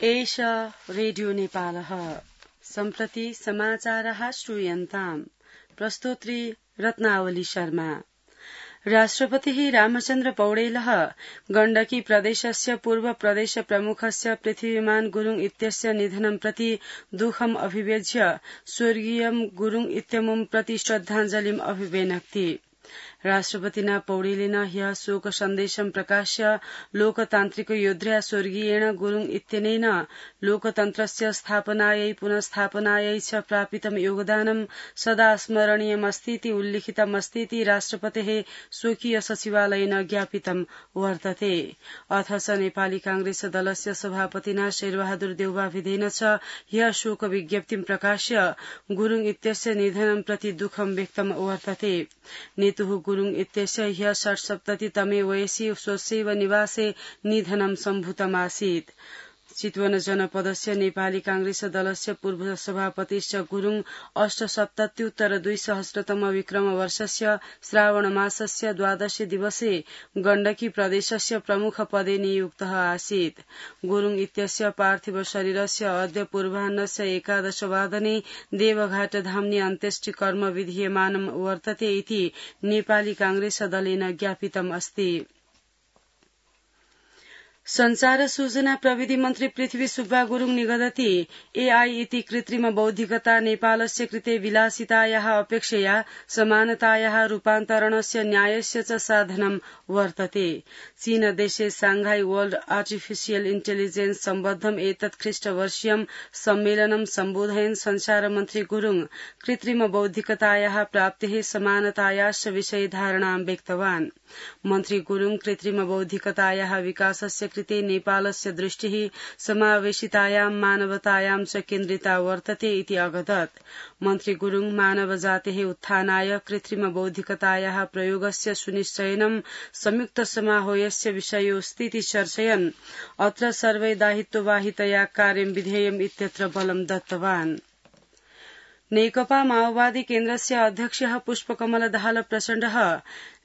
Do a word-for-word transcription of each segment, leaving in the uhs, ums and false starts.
एष रेडियो नेपालः सम्प्रति समाचारः श्रूयन्ताम् प्रस्तोत्री रत्नावली शर्मा। राष्ट्रपतिः रामचन्द्र पौडेलः गण्डकी प्रदेशस्य पूर्व प्रदेश प्रमुखस्य पृथ्वीमान गुरुङ इत्यस्य निधनं प्रति दुःखम् अभिव्यज्य स्वर्गीयं गुरुङ इत्यमुं प्रति श्रद्धाञ्जलिम् अभिव्यनक्ति। राष्ट्रपतिना पौडेलेन ह्यः शोक सन्देशं प्रकाश्य लोकतान्त्रिक योद्ध्या स्वर्गीयेण गुरुङ इत्यनेन लोकतन्त्रस्य स्थापनायै पुनस्थापनायै च प्रापितं योगदानं सदा स्मरणीयमस्तीति उल्लिखितमस्तीति राष्ट्रपतेः स्वकीय सचिवालयेन ज्ञापितं वर्तते। अथ च नेपाली कांग्रेस दलस्य सभापतिना शेरबहादुर देउवाभिधेन च ह्यः शोक विज्ञप्तिं प्रकाश्य गुरुङ इत्यस्य निधनं प्रति दुःखं व्यक्तं वर्तते। नेतुः गुरुङ इत्यस्य ह्यः षट्सप्ततितमे वयसि स्वस्यैव निवासे निधनं सम्भूतमासीत्। चितवन जनपदस्य नेपाली कांग्रेस दलस्य पूर्व सभापतिश्च गुरुङ अष्टसप्तत्युत्तर द्विसहस्रतम विक्रम वर्षस्य श्रावण मासस्य द्वादशे दिवसे गण्डकी प्रदेशस्य प्रमुख पदे नियुक्तः आसीत्। गुरुङ इत्यस्य पार्थिव शरीरस्य अद्य पूर्वाह्नस्य एकादशवादने देवघाट धाम्नि अन्त्येष्टि कर्म विधीयमानं वर्तते इति नेपाली कांग्रेस दलेन ज्ञापितम् अस्ति। संचार सूचना प्रविधि मन्त्री पृथ्वी सुब्बा गुरुङ निगदति एआई इति कृत्रिम बौद्धिकता नेपालस्य कृते विलासितायाः अपेक्षया समानतायाः रूपान्तरणस्य न्यायस्य च साधनं वर्तते। चीन देशे सांघाई वर्ल्ड आर्टिफिशियल इन्टेलिजेन्स सम्बद्धम् एतत् ख्रीष्टवर्षीयं सम्मेलनं सम्बोधयन् संचार मन्त्री गुरुङ कृत्रिम बौद्धिकतायाः प्राप्तेः समानतायाश्च विषये धारणां व्यक्तवान्। मन्त्री गुरुङ कृत्रिम बौद्धिकतायाः विकासस्य कृते नेपालस्य दृष्टिः समावेशितायां मानवतायां च केन्द्रिता वर्तते इति अवदत्। मन्त्री गुरुङ मानव जातेः उत्थानाय कृत्रिम बौद्धिकतायाः प्रयोगस्य सुनिश्चयनं संयुक्त समारोहस्य विषयोऽस्तीति चर्चयन् अत्र सर्वै दायित्ववाहितया कार्यं विधेयम् इत्यत्र बलं दत्तवान्। नेकपा माओवादी केन्द्रस्य अध्यक्षः पुष्पकमल दाहाल प्रचण्डः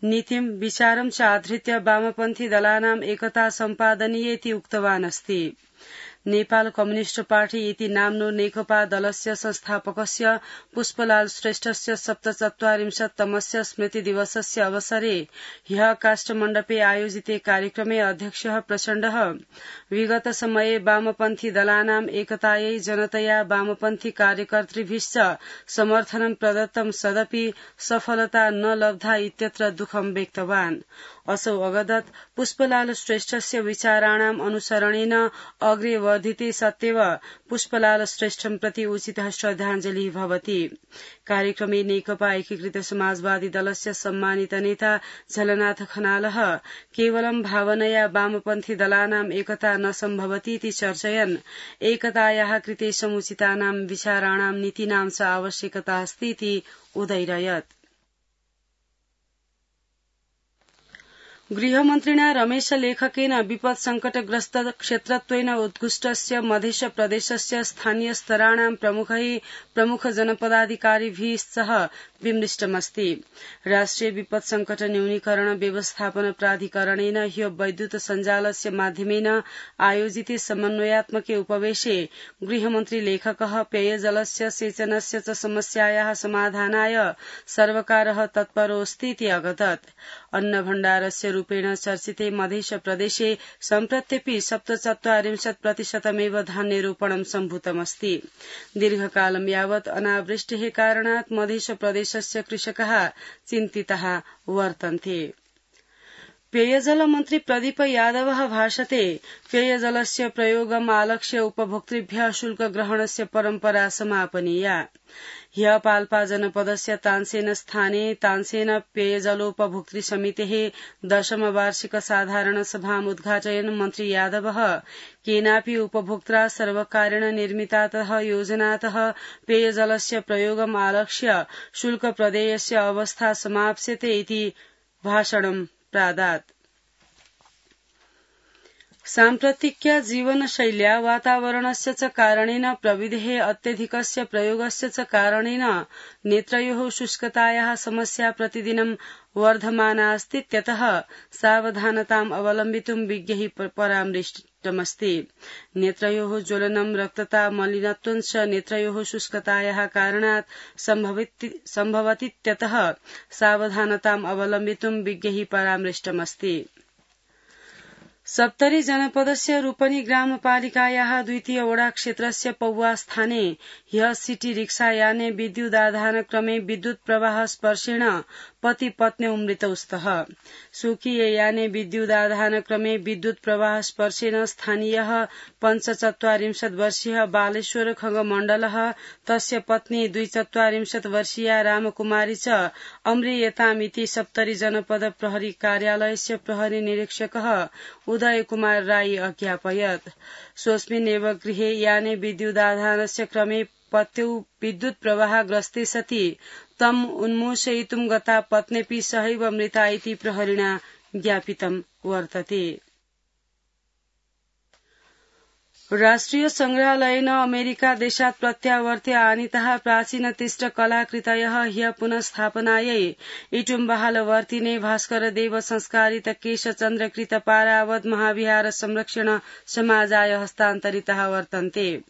नीतिं विचारं च आधृत्य वामपन्थी दलानाम् एकता सम्पादनीयेति उक्तवान् अस्ति। नेपाल कम्युनिष्ट पार्टी इति नाम्नो नेकपा दलस्य संस्थापकस्य पुष्पलाल श्रेष्ठस्य सप्तचत्वारिंशत्तमस्य स्मृति दिवसस्य अवसरे ह्यः काष्ठमण्डपे आयोजिते कार्यक्रमे अध्यक्षः प्रचण्डः विगत समये वामपन्थी दलानाम् एकतायै जनतया वामपन्थी कार्यकर्तृभिश्च समर्थनं प्रदत्तं सदपि सफलता न लब्धा इत्यत्र दुःखं व्यक्तवान्। असौ अवदत् पुष्पलाल श्रेष्ठस्य विचाराणाम् अनुसरणेन अग्रे वर्धिते सत्येव पुष्पलाल श्रेष्ठं प्रति उचितः श्रद्धाञ्जलिः भवति। कार्यक्रमे नेकपा एकीकृत समाजवादी दलस्य सम्मानित नेता झलनाथ खनालः केवलं भावनया वामपन्थी दलानाम् एकता न सम्भवतीति चर्चयन् एकतायाः कृते समुचितानां विचाराणां नीतिनां च आवश्यकता अस्तीति उदैरयत्। गृहमन्त्रिणा रमेश लेखकेन विपद संकटग्रस्त क्षेत्रत्वेन उत्कृष्टस्य मध्य प्रदेशस्य स्थानीय स्तराणां प्रमुखैः प्रमुख जनपदाधिकारिभिः सह विमृष्टमस्ति। राष्ट्रिय विपद संकट न्यूनीकरण व्यवस्थापन प्राधिकरणेन ह्यो वैद्युत सञ्जालस्य माध्यमेन आयोजिते समन्वयात्मके उपवेशे गृहमन्त्री लेखकः पेयजलस्य सेचनस्य च समस्यायाः समाधानाय सर्वकारः तत्परोऽस्तीति अवदत्। अन्न भण्डारस्य रूपेण चर्चिते मध्य प्रदेशे सम्प्रत्यपि सप्तचत्वारिंशत् प्रतिशतमेव धान्यरोपणं सम्भूतमस्ति। दीर्घकालं यावत् अनावृष्टेः कारणात् मध्य प्रदेशस्य कृषकाः चिन्तिताः वर्तन्ते। पेयजल मन्त्री प्रदीप यादवः भाषते पेयजलस्य प्रयोगम् आलक्ष्य उपभोक्तृभ्यः शुल्कग्रहणस्य परम्परा समापनीया। ह्यः पाल्पा जनपदस्य तानसेन स्थाने तानसेन पेयजलोपभोक्तृ समितेः दशम वार्षिक साधारण सभाम् उद्घाटयन् मन्त्री यादवः केनापि उपभोक्त्रा सर्वकारेण निर्मितातः योजनातः पेयजलस्य प्रयोगम् आलक्ष्य शुल्क प्रदेयस्य अवस्था समाप्स्यते इति भाषणं प्रादात्। साम्प्रतिक्या जीवनशैल्या वातावरणस्य च कारणेन प्रविधेः अत्यधिकस्य प्रयोगस्य च कारणेन नेत्रयोः शुष्कतायाः समस्या प्रतिदिनं वर्धमाना अस्ति। त्यतः सावधानताम् अवलम्बितुं विज्ञैः परामृष्टमस्ति। नेत्रयोः ज्वलनं, रक्तता, मलिनत्वं च नेत्रयोः शुष्कतायाः कारणात् सम्भवति। त्यतः सावधानताम् अवलम्बितुं विज्ञैः परामृष्टमस्ति। सप्तरी जनपदस्य रूपनी ग्रामपालिकायाः द्वितीय वडा क्षेत्रस्य पौवा स्थाने ह्यः सिटी रिक्सा याने विद्युदाधानक्रमे विद्युत् प्रवाह स्पर्शेण पति पत्न्यौ मृतौ स्तः। स्वकीये याने विद्युदाधानक्रमे विद्युत् प्रवाह स्पर्शेन स्थानीयः पञ्चचत्वारिंशत् वर्षीयः बालेश्वर खगमण्डलः तस्य पत्नी द्विचत्वारिंशत् वर्षीया रामकुमारी च अम्रियतामिति सप्तरी जनपद प्रहरी कार्यालयस्य प्रहरी निरीक्षकः उदय कुमार राई अज्ञापयत्। स्वस्मिन्नेव गृहे याने विद्युदाधानस्य क्रमे पत्यौ विद्युत् प्रवाहग्रस्ते सति तम् उन्मोचयितुं गता पत्न्यपि सहैव मृता इति प्रहरिणा ज्ञापितं वर्तते। राष्ट्रिय संग्रहालयेन अमेरिका देशात् प्रत्यावर्त्य आनीताः प्राचीनतिष्ठ कलाकृतयः ह्यः पुनस्थापनायै इटुम्बहालवर्तिने भास्करदेव संस्कारित केशचन्द्रकृत पारावत महाविहार संरक्षण समाजाय हस्तान्तरिताः वर्तन्ते।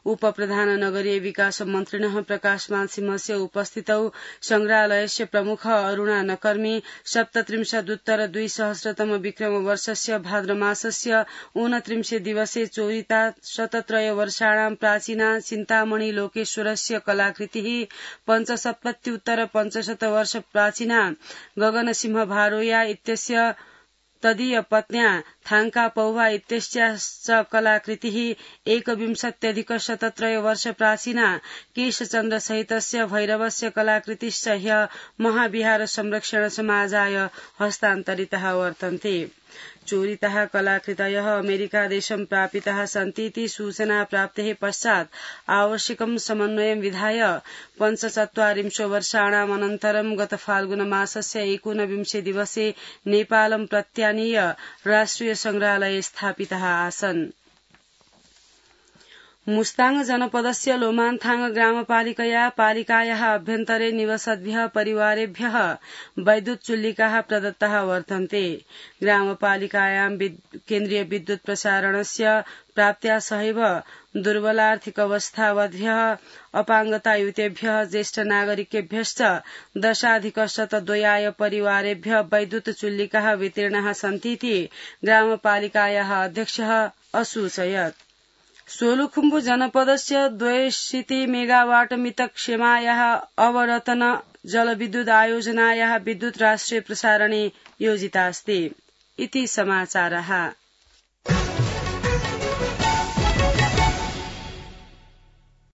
उपप्रधान नगरीय विकास मन्त्रिणः प्रकाशमान सिंहस्य उपस्थितौ संग्रहालयस्य प्रमुख अरुणा नकर्मी सप्तत्रिंशदुत्तर द्विसहस्रतम विक्रमवर्षस्य भाद्रमासस्य ऊनत्रिंशे दिवसे चोरिता शतत्रय वर्षाणां प्राचीना चिन्तामणि लोकेश्वरस्य कलाकृतिः पञ्चसप्तत्युत्तर पञ्चशत वर्ष प्राचीना गगनसिंह भारोया इत्यस्य तदीय पत्न्या थांका पौवा इत्यस्याश्च कलाकृतिः एकविंशत्यधिक शतत्रय वर्ष प्राचीना केशचन्द्र सहितस्य भैरवस्य कलाकृतिश्च ह्यः महाविहार संरक्षण समाजाय हस्तान्तरिताः वर्तन्ते। चोरिताः कलाकृतयः अमेरिकादेशं प्रापिताः सन्ति इति सूचना प्राप्तेः पश्चात् आवश्यकं समन्वयं विधाय पञ्चचत्वारिंशो वर्षाणाम् अनन्तरं गत फाल्गुनमासस्य एकोनविंशे दिवसे नेपालं प्रत्यानीय राष्ट्रिय संग्रहालये स्थापिताः आसन्। मुस्ताङ जनपदस्य लोमान्थाङ ग्रामपालिकया पालिकायाः अभ्यन्तरे निवसद्भ्यः परिवारेभ्यः वैद्युत चुल्लिकाः प्रदत्ताः वर्तन्ते। ग्रामपालिकायां केन्द्रीय विद्युत प्रसारणस्य प्राप्त्या सहैव दुर्बलार्थिकावस्थावद्भ्यः अपाङ्गतायुतेभ्यः ज्येष्ठ नागरिकेभ्यश्च दशाधिकशतद्वयाय परिवारेभ्यः वैद्युत चुल्लिकाः वितीर्णाः सन्तीति ग्रामपालिकायाः अध्यक्षः असूचयत्। सोलुखुम्बु जनपदस्य द्वयशीति मेगावाट मितक क्षेमायाः अवरतन जलविद्युत आयोजनायाः विद्युत राष्ट्रिय प्रसारणे योजिता अस्ति इति समाचारः।